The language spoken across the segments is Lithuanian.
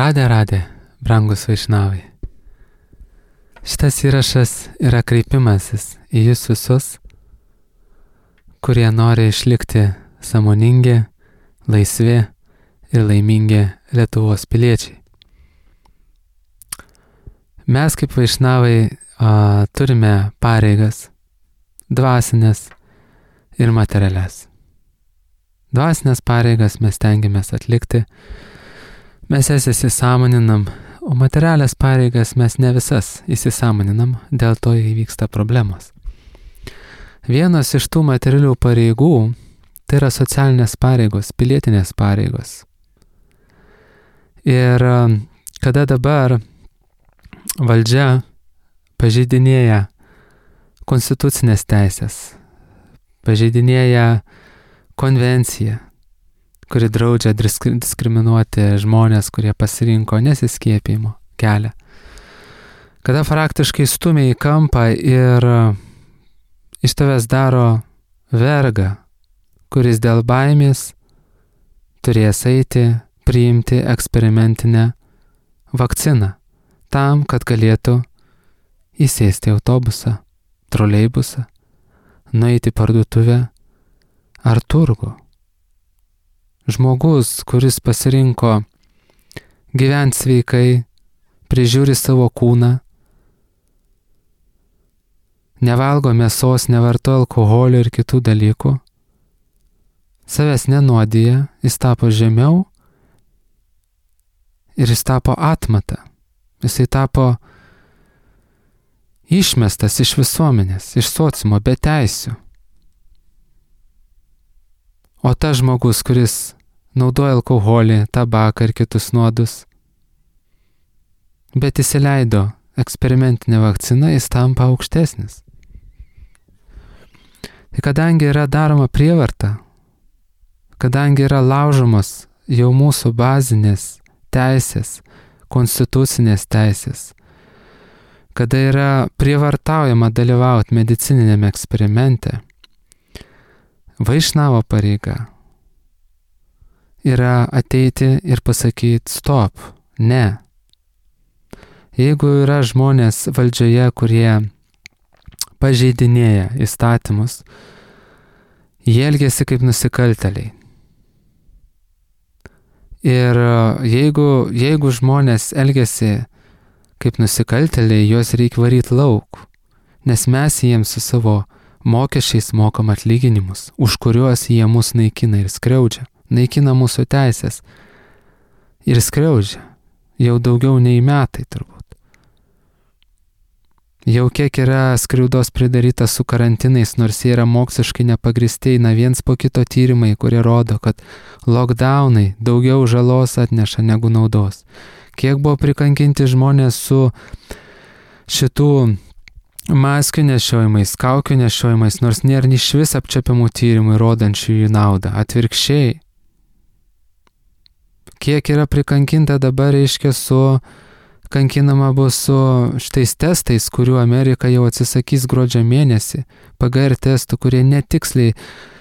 Radė, brangus vaišnavai. Šitas įrašas yra kreipimasis į jūs visus, kurie nori išlikti sąmoningi, laisvi ir laimingi Lietuvos piliečiai. Mes kaip vaišnavai turime pareigas, dvasinės ir materialias. Dvasinės pareigas mes stengiamės atlikti, mes jas įsisąmoninam, o materialias pareigas mes ne visas įsisąmoninam, dėl to įvyksta problemos. Vienas iš tų materialių pareigų tai yra socialinės pareigos, pilietinės pareigos. Ir kada dabar valdžia pažeidinėja konstitucinės teisės, pažeidinėja konvenciją, kuri draudžia diskriminuoti žmonės, kurie pasirinko nesiskiepijimo kelią. Kada praktiškai stumia į kampą ir iš tavęs daro vergą, kuris dėl baimės turės eiti priimti eksperimentinę vakciną, tam, kad galėtų įsėsti autobusą, troleibusą, nueiti į parduotuvę ar turgų. Žmogus, kuris pasirinko gyventi sveikai, prižiūri savo kūną, nevalgo mėsos, nevartoja alkoholio ir kitų dalykų, savęs nenuodija, jis tapo žemiau ir jis tapo atmata. Jisai tapo išmestas iš visuomenės, iš sociumo, be teisių. O tas žmogus, kuris naudoja alkoholį, tabaką ir kitus nuodus, bet įsileido eksperimentinę vakciną, jis tampa aukštesnis. Tai kadangi yra daroma prievarta, kadangi yra laužomos jau mūsų bazinės teisės, konstitucinės teisės, kada yra prievartaujama dalyvauti medicininiame eksperimente, vaišnavo pareiga yra ateiti ir pasakyti stop, ne. Jeigu yra žmonės valdžioje, kurie pažeidinėja įstatymus, jie elgiasi kaip nusikaltėliai. Ir jeigu žmonės elgiasi kaip nusikaltėliai, juos reikia varyti lauk, nes mes jiems su savo mokesčiais mokam atlyginimus, už kuriuos jie mus naikina ir skriaudžia, naikina mūsų teisės ir skriaudžia jau daugiau nei metai turbūt. Jau kiek yra skriaudos pridaryta su karantinais, nors jie yra moksliškai nepagristi, eina viens po kito tyrimai, kurie rodo, kad lockdownai daugiau žalos atneša negu naudos. Kiek buvo prikankinti žmonės su šitų maskių nešiojimais, kaukių nešiojimais, nors nėra iš vis apčiapiamų tyrimų rodančių jų naudą. Atvirkščiai. Kiek yra prikankinta dabar, reiškia, kankinama bus su šitais testais, kurių Amerika jau atsisakys gruodžio mėnesį, PGR testų, kurie netiksliai,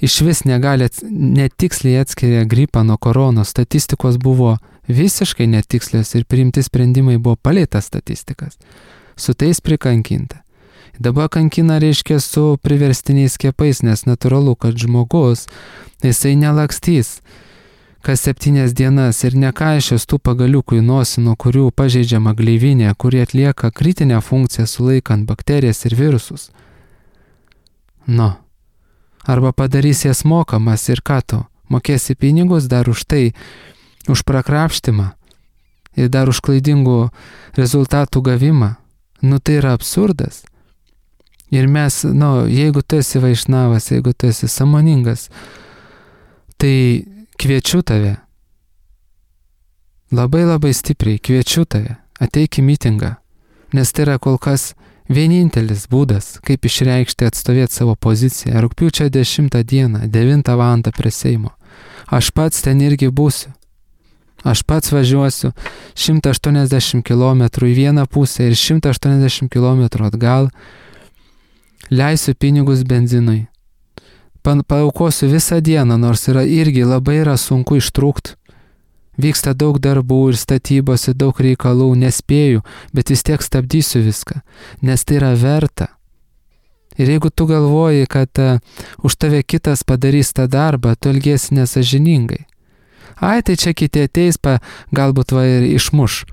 iš vis netiksliai atskiria gripą nuo koronos. Statistikos buvo visiškai netikslios ir priimti sprendimai buvo palei tas statistikas. Su tais prikankinta. Dabar kankina, reiškia, su priverstiniais skiepais, nes natūralu, kad žmogus, jisai nelakstys kas 7 dienas ir nekaišios tų pagaliukų į nosį, nuo kurių pažeidžiama gleivinė, kurie atlieka kritinę funkciją sulaikant bakterijas ir virusus. Arba padarys jas mokamas ir ką tu, mokėsi pinigus dar už tai, už prakrapštimą ir dar už klaidingų rezultatų gavimą. Tai yra absurdas. Ir mes, jeigu tu esi vaišnavas, jeigu tu esi sąmoningas, tai kviečiu tave, labai labai stipriai kviečiu tave, ateik į mitingą, nes tai yra kol kas vienintelis būdas, kaip išreikšti, atstovėti savo poziciją. Rugpjūčio 10 dieną, 9 val. Prie Seimo. Aš pats ten irgi būsiu. Aš pats važiuosiu 180 km į vieną pusę ir 180 km atgal, leisiu pinigus benzinui. Paaukosiu visą dieną, nors irgi labai sunku ištrūkti. Vyksta daug darbų ir statybos ir daug reikalų, nespėju, bet vis tiek stabdysiu viską, nes tai yra verta. Ir jeigu tu galvoji, kad už tave kitas padarys tą darbą, tu elgiesi nesažiningai. Ai, tai čia kiti ateis, galbūt ir išmuš.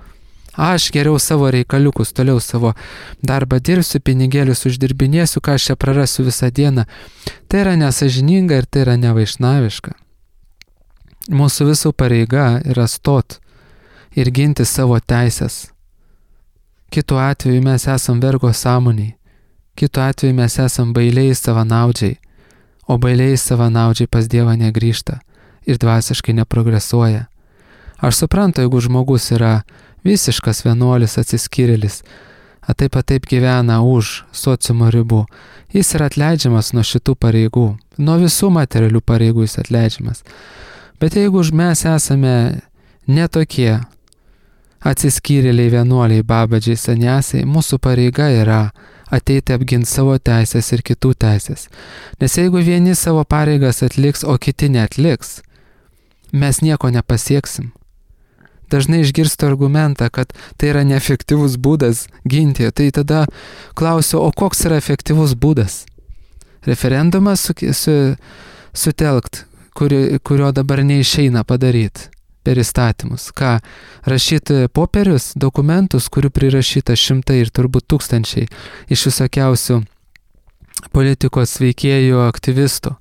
Aš geriau savo reikaliukus, toliau savo darbą dirbsiu, pinigėlius uždirbinėsiu, ką aš čia prarasiu visą dieną. Tai yra nesažininga ir tai yra nevaišnaviška. Mūsų visų pareiga yra stot ir ginti savo teisės. Kitu atveju mes esam vergo sąmoniai, kitu atveju mes esam bailiai savanaudžiai, o bailiai savanaudžiai pas Dievą negrįžta ir dvasiškai neprogresuoja. Aš suprantu, jeigu žmogus yra visiškas vienuolis atsiskyrėlis, taip gyvena už sociumo ribų, jis yra atleidžiamas nuo šitų pareigų, nuo visų materialių pareigų jis atleidžiamas. Bet jeigu mes esame netokie atsiskyrėliai, vienuoliai, babadžiai, saniasiai, mūsų pareiga yra ateiti apginti savo teisės ir kitų teisės. Nes jeigu vieni savo pareigas atliks, o kiti neatliks, mes nieko nepasieksim. Dažnai išgirstu argumentą, kad tai yra neefektyvus būdas ginti. Tai tada klausiu, o koks yra efektyvus būdas? Referendumą sutelkt, kurio dabar neišeina padaryti per įstatymus. Ką, rašyti popierius, dokumentus, kurių prirašyta šimtai ir turbūt tūkstančiai iš visokiausių politikos veikėjų, aktyvistų.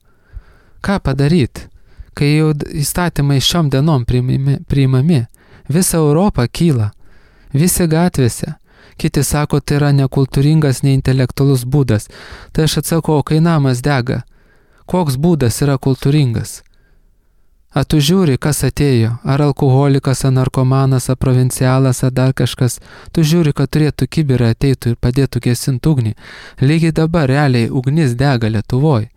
Ką padaryti, kai jau įstatymai šiom dienom priimami? Visa Europa kyla, visi gatvėse. Kiti sako, tai yra nekultūringas, neintelektualus būdas. Tai aš atsakau, kai namas dega, koks būdas yra kultūringas? A tu žiūri, kas atėjo, ar alkoholikas, ar narkomanas, ar provincialas, ar dar kažkas. Tu žiūri, kad turėtų kibirą ateitų ir padėtų gesinti ugnį. Lygiai dabar realiai ugnis dega Lietuvoj.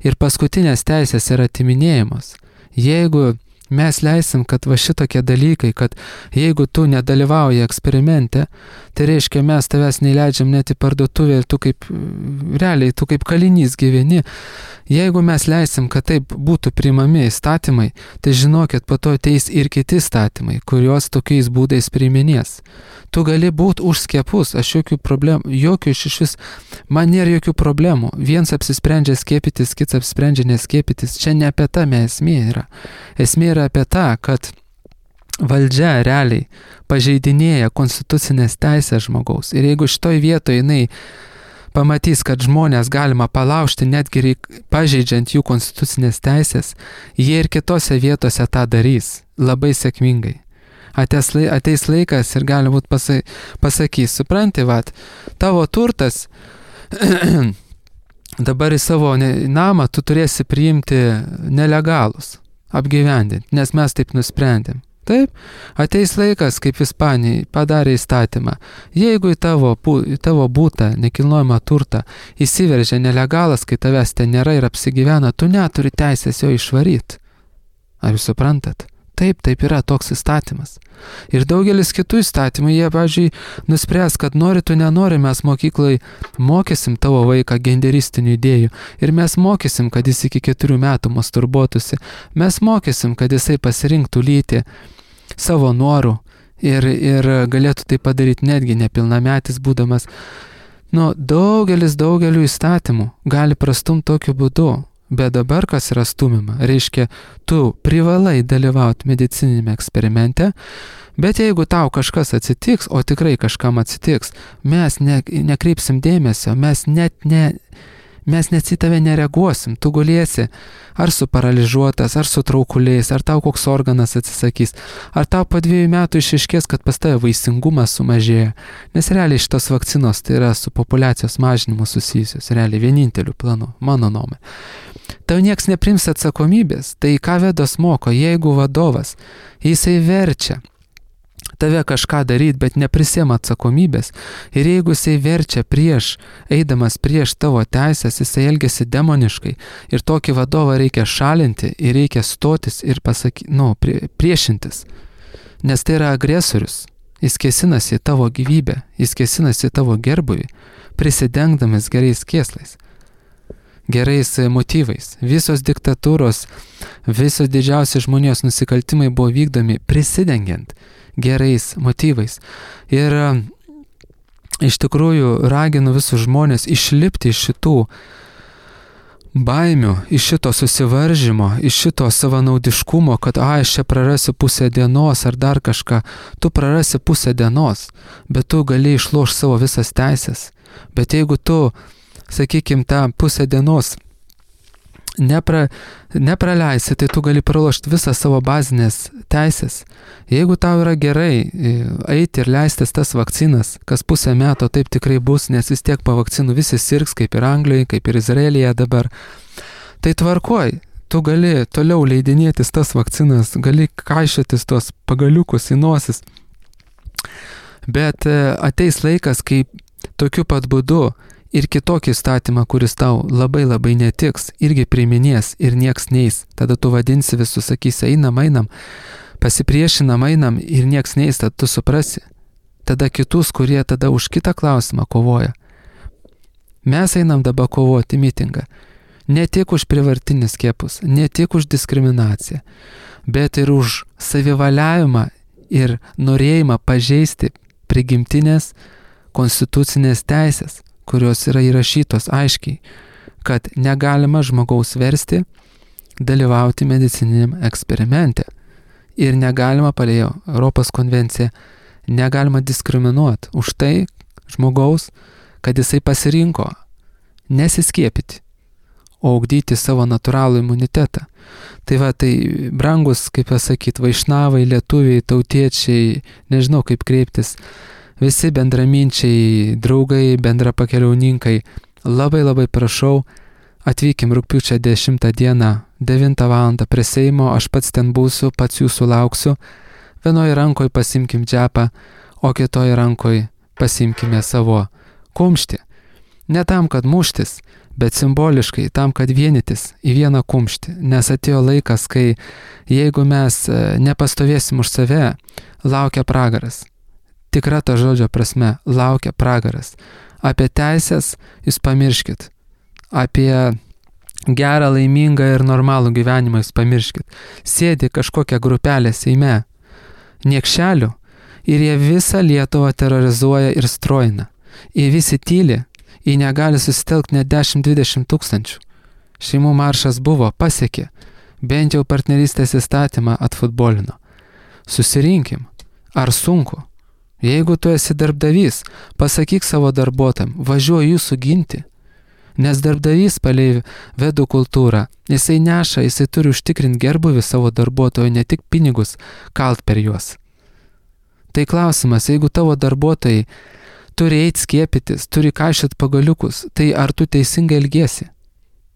Ir paskutinės teisės yra atiminėjamos. Jeigu mes leisim, kad va šitokie dalykai, kad jeigu tu nedalyvauji eksperimente, tai reiškia mes tavęs neįleidžiam net į parduotuvę ir tu kaip kalinys gyveni. Jeigu mes leisim, kad taip būtų priimami įstatymai, tai žinokit, po to ateis ir kiti įstatymai, kuriuos tokiais būdais priiminės. Tu gali būti už skiepus, aš jokių problemų, man nėra jokių problemų. Viens apsisprendžia skiepytis, kits apsisprendžia neskiepytis. Čia ne apie tą esmė yra. Esmė yra apie tą, kad valdžia realiai pažeidinėja konstitucinės teisės žmogaus. Ir jeigu šitoj vietoje jinai pamatys, kad žmonės galima palaužti netgi pažeidžiant jų konstitucinės teisės, jie ir kitose vietose tą darys labai sėkmingai. Ateis laikas ir gali būt pasakys, supranti, tavo turtas dabar į savo namą tu turėsi priimti nelegalus, apgyvendinti, nes mes taip nusprendėm. Taip, ateis laikas, kaip Ispanijai padarė įstatymą. Jeigu į tavo būtą, nekilnojamą turtą įsiveržia nelegalas, kai tavęs ten nėra ir apsigyvena, tu neturi teisės jo išvaryti. Ar jūs suprantat? Taip yra toks įstatymas. Ir daugelis kitų įstatymų, jie, pavyzdžiui, nuspręs, kad nori tu nenori, mes mokyklai mokysim tavo vaiką genderistinių idėjų. Ir mes mokysim, kad jis iki 4 metų masturbuotųsi. Mes mokysim, kad jisai pasirinktų lytį savo norų ir galėtų tai padaryti netgi nepilnametis būdamas. Daugeliu įstatymų gali prastumti tokiu būdu. Bet dabar kas yra stumima? Reiškia, tu privalai dalyvauti medicininiame eksperimente, bet jeigu tau kažkas atsitiks, o tikrai kažkam atsitiks, mes nekreipsim dėmesio, mes net į tave nereaguosim, tu gulėsi ar suparalyžiuotas, ar su traukuliais, ar tau koks organas atsisakys, ar tau po 2 metų išaiškės, kad pas tave vaisingumas sumažėjo, nes realiai šitos vakcinos tai yra su populiacijos mažinimu susijusios, realiai vieninteliu planu, mano nuomone. Tau nieks neprims atsakomybės, tai ką Vedos moko, jeigu vadovas, jisai verčia tave kažką daryti, bet neprisėma atsakomybės. Ir jeigu jisai verčia eidamas prieš tavo teisės, jisai elgiasi demoniškai. Ir tokį vadovą reikia šalinti ir reikia stotis ir priešintis. Nes tai yra agresorius. Jis kėsinasi į tavo gyvybę, jis kėsinasi į tavo gerbuvį, prisidengdamas gerais kėslais. gerais motyvais. Visos diktatūros, visos didžiausi žmonijos nusikaltimai buvo vykdomi prisidengiant gerais motyvais. Ir iš tikrųjų raginu visus žmonės išlipti iš šitų baimių, iš šito susivaržymo, iš šito savanaudiškumo, kad aš čia prarasiu pusę dienos ar dar kažką. Tu prarasi pusę dienos, bet tu gali išlošti savo visas teisės. Bet jeigu tu, sakykim, tą pusę dienos nepraleisi, tai tu gali pralošti visą savo bazinės teisės. Jeigu tau yra gerai eiti ir leistis tas vakcinas, kas pusę metų taip tikrai bus, nes vis tiek po vakcinų visi sirgs, kaip ir Anglijoje, kaip ir Izraelyje dabar, tai tvarkoj, tu gali toliau leidinėtis tas vakcinas, gali kaišytis tos pagaliukus į nosis. Bet ateis laikas, kai tokiu pat būdu ir kitokį įstatymą, kuris tau labai labai netiks, irgi priiminės ir nieks neis. Tada tu vadinsi visus, sakysi, einam, pasipriešinam, einam ir nieks neis, tada tu suprasi. Tada kitus, kurie tada už kitą klausimą kovoja. Mes einam dabar kovoti mitingą. Ne tik už prievartinius skiepus, ne tik už diskriminaciją, bet ir už savivaliavimą ir norėjimą pažeisti prigimtinės konstitucinės teisės, kurios yra įrašytos aiškiai, kad negalima žmogaus versti dalyvauti medicininiam eksperimente. Ir negalima pagal Europos konvenciją, negalima diskriminuoti už tai žmogaus, kad jisai pasirinko nesiskiepyti, o ugdyti savo natūralų imunitetą. Tai va, tai brangus, kaip pasakyti, vaišnavai, lietuviai, tautiečiai, nežinau kaip kreiptis, visi bendraminčiai, draugai, bendrapakeliauninkai, labai prašau, atvykim rugpjūčio 10 dieną, 9 val. Prie Seimo, aš pats ten būsiu, pats jūsų lauksiu. Vienoje rankoje pasimkim džepą, o kitoje rankoje pasimkime savo kumštį. Ne tam, kad muštis, bet simboliškai tam, kad vienytis į vieną kumštį. Nes atėjo laikas, kai jeigu mes nepastovėsim už save, laukia pragaras. Tikra ta žodžio prasme, laukia pragaras. Apie teisės jūs pamirškit. Apie gerą, laimingą ir normalų gyvenimą jūs pamirškit. Sėdi kažkokia grupelė Seime, niekšelių, ir jie visą Lietuvą terrorizuoja ir strojina. Jie visi tyli, jie negali susitelkti net 10-20 tūkstančių. Šeimų maršas buvo, pasiekė, bent jau partnerystės įstatymą atfutbolino. Susirinkim, ar sunku? Jeigu tu esi darbdavys, pasakyk savo darbuotojam, važiuoju jūsų ginti. Nes darbdavys palei vedų kultūrą, jisai neša, jisai turi užtikrinti gerbuvį savo darbuotojų, ne tik pinigus kalt per juos. Tai klausimas, jeigu tavo darbuotojai turi eiti skiepytis, turi kaišyti pagaliukus, tai ar tu teisingai elgiesi?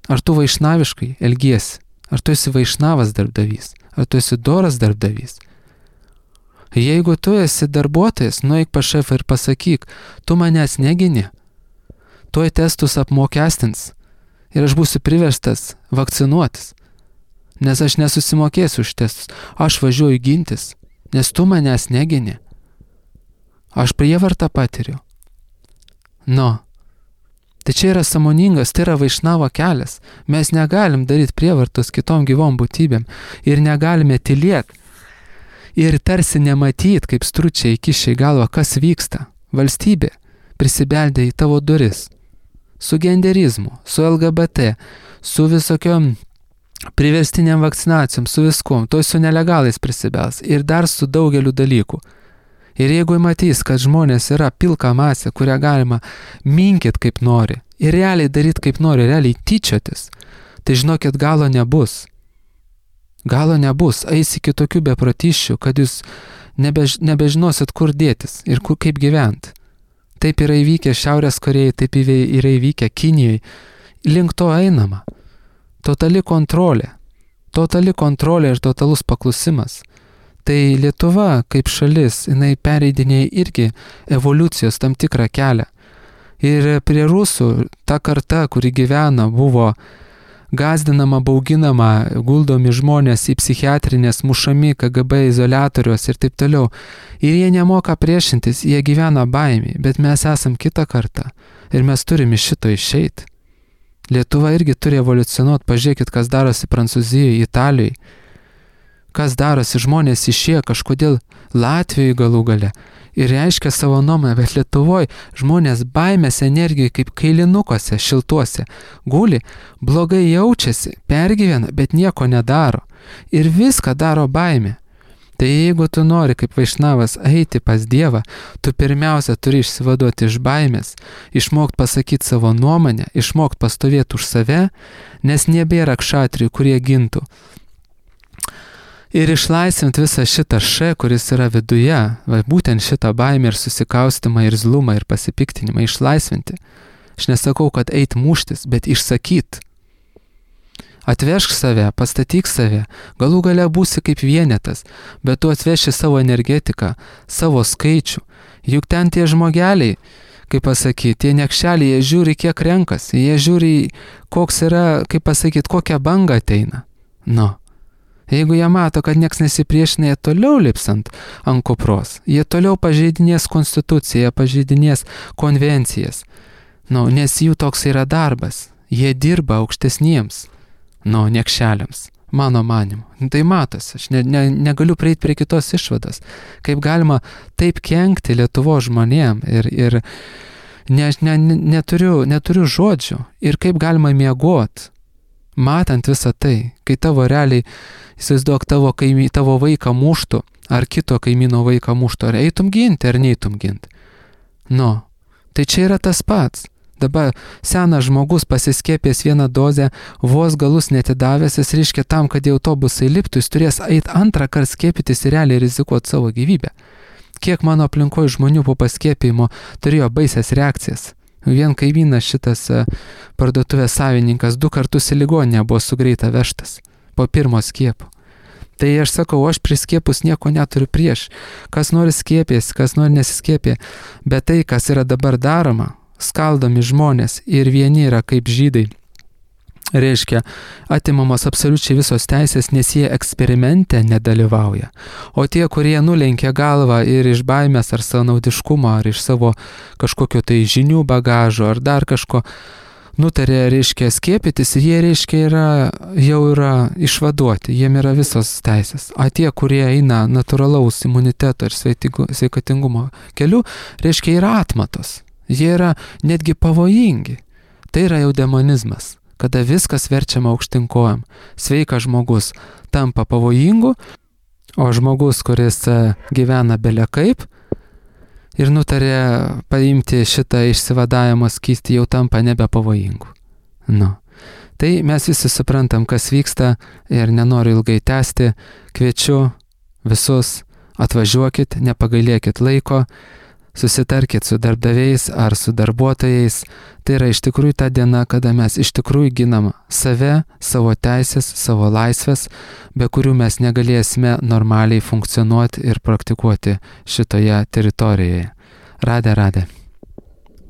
Ar tu vaišnaviškai elgiesi? Ar tu esi vaišnavas darbdavys? Ar tu esi doras darbdavys? Jeigu tu esi darbuotojas, nueik pas šefą ir pasakyk, tu manęs negini, tuoj testus apmokestins ir aš būsiu priverstas vakcinuotis, nes aš nesusimokėsiu už testus, aš važiuoju gintis, nes tu manęs negini, aš prievartą patiriu. Tai čia yra sąmoningas, tai yra vaišnavo kelias, mes negalim daryti prievartos kitom gyvom būtybėm ir negalime tylėti. Ir tarsi nematyt, kaip stručiai kišia į galvą, kas vyksta. Valstybė prisibeldė į tavo duris. Su genderizmu, su LGBT, su visokiom priverstiniam vakcinacijom, su viskuom. Toj su nelegalais prisibels. Ir dar su daugeliu dalykų. Ir jeigu matys, kad žmonės yra pilka masė, kurią galima minkit kaip nori, ir realiai daryti kaip nori, realiai tyčiotis, tai žinokit, galo nebus. Galo nebus, eis iki tokių beprotiščių, kad jūs nebežinosit, kur dėtis ir kaip gyventi. Taip yra įvykę Šiaurės Korėjai, taip yra įvykę Kinijai. Link to einama. Totali kontrolė ir totalus paklusimas. Tai Lietuva kaip šalis, jinai pereidinėja irgi evoliucijos tam tikrą kelią. Ir prie rusų ta karta, kuri gyvena, buvo gazdinama, bauginama, guldomi žmonės į psichiatrinės, mušami KGB izoliatorius ir taip toliau. Ir jie nemoka priešintis, jie gyvena baimį, bet mes esam kitą kartą ir mes turime iš šito išeiti. Lietuva irgi turi evoliucionuoti, pažiūrėkit, kas darosi Prancūzijoje, Italijoje, kas darosi, žmonės išėjo kažkodėl Latvijoje galų gale ir reiškia savo nuomonę, bet Lietuvoje žmonės baimės energijai kaip kailinukuose, šiltuose, guli, blogai jaučiasi, pergyvena, bet nieko nedaro ir viską daro baimė. Tai jeigu tu nori kaip vaišnavas eiti pas Dievą, tu pirmiausia turi išsivaduoti iš baimės, išmokti pasakyti savo nuomonę, išmokti pastovėti už save, nes nebėra kšatrių, kurie gintų. Ir išlaisvinti visą šitą kuris yra viduje, būtent šitą baimę ir susikaustimą ir zlumą ir pasipiktinimą išlaisvinti. Aš nesakau, kad eit muštis, bet išsakyt. Atvežk save, pastatyk save, galų gale būsi kaip vienetas, bet tu atveši savo energetiką, savo skaičių. Juk ten tie žmogeliai, kaip pasakyti, tie niekšeliai, jie žiūri, kiek renkas, jie žiūri, koks yra, kaip pasakyti, kokia banga ateina. Jeigu jie mato, kad nieks nesipriešina, jie toliau lips ant kupros, jie toliau pažeidinės konstituciją, jie pažeidinės konvencijas, nes jų toks yra darbas, jie dirba aukštesniems. Niekšeliams, mano manimu. Tai matosi, aš negaliu prieiti prie kitos išvados. Kaip galima taip kenkti Lietuvos žmonėm ir neturiu žodžių. Ir kaip galima miegot, matant visą tai, kai tavo realiai, įsivaizduok, tavo vaiką muštų, ar kito kaimyno vaiką muštų, ar eitum ginti, ar neitum ginti. Tai čia yra tas pats. Dabar senas žmogus pasiskiepęs vieną dozę, vos galus netidavęs, jis reiškia tam, kad į autobusą įliptų, jis turės eiti antrą kartą skiepytis ir realiai rizikuoti savo gyvybę. Kiek mano aplinkoje žmonių po paskiepijimo turėjo baisias reakcijas. Vien kaimynas šitas parduotuvės savininkas 2 kartus į ligoninę buvo su greita vežtas po pirmo skiepo. Tai aš sakau, aš prie skiepus nieko neturiu prieš. Kas nori skiepės, kas nori nesiskiepė. Bet tai, kas yra dabar daroma, skaldomi žmonės ir vieni yra kaip žydai. Reiškia, atimamos absoliučiai visos teisės, nes jie eksperimente nedalyvauja. O tie, kurie nulenkia galvą ir iš baimės ar savanaudiškumo, ar iš savo kažkokio tai žinių bagažo, ar dar kažko, nutarė, reiškia, skiepytis, jie, reiškia, jau yra išvaduoti, jiem yra visos teisės. O tie, kurie eina natūralaus imuniteto ir sveikatingumo keliu, reiškia, yra atmatos. Jie yra netgi pavojingi. Tai yra jau demonizmas, kada viskas verčiama aukštinkojam. Sveikas žmogus tampa pavojingu, o žmogus, kuris gyvena bele kaip ir nutarė paimti šitą išsivadavimo skystį, jau tampa nebepavojingu. Tai mes visi suprantam, kas vyksta ir nenoriu ilgai tęsti. Kviečiu visus, atvažiuokit, nepagailėkit laiko. Susitarkit su darbdaviais ar su darbuotojais. Tai yra iš tikrųjų ta diena, kada mes iš tikrųjų ginam save, savo teisės, savo laisvės, be kurių mes negalėsime normaliai funkcionuoti ir praktikuoti šitoje teritorijoje. Radė.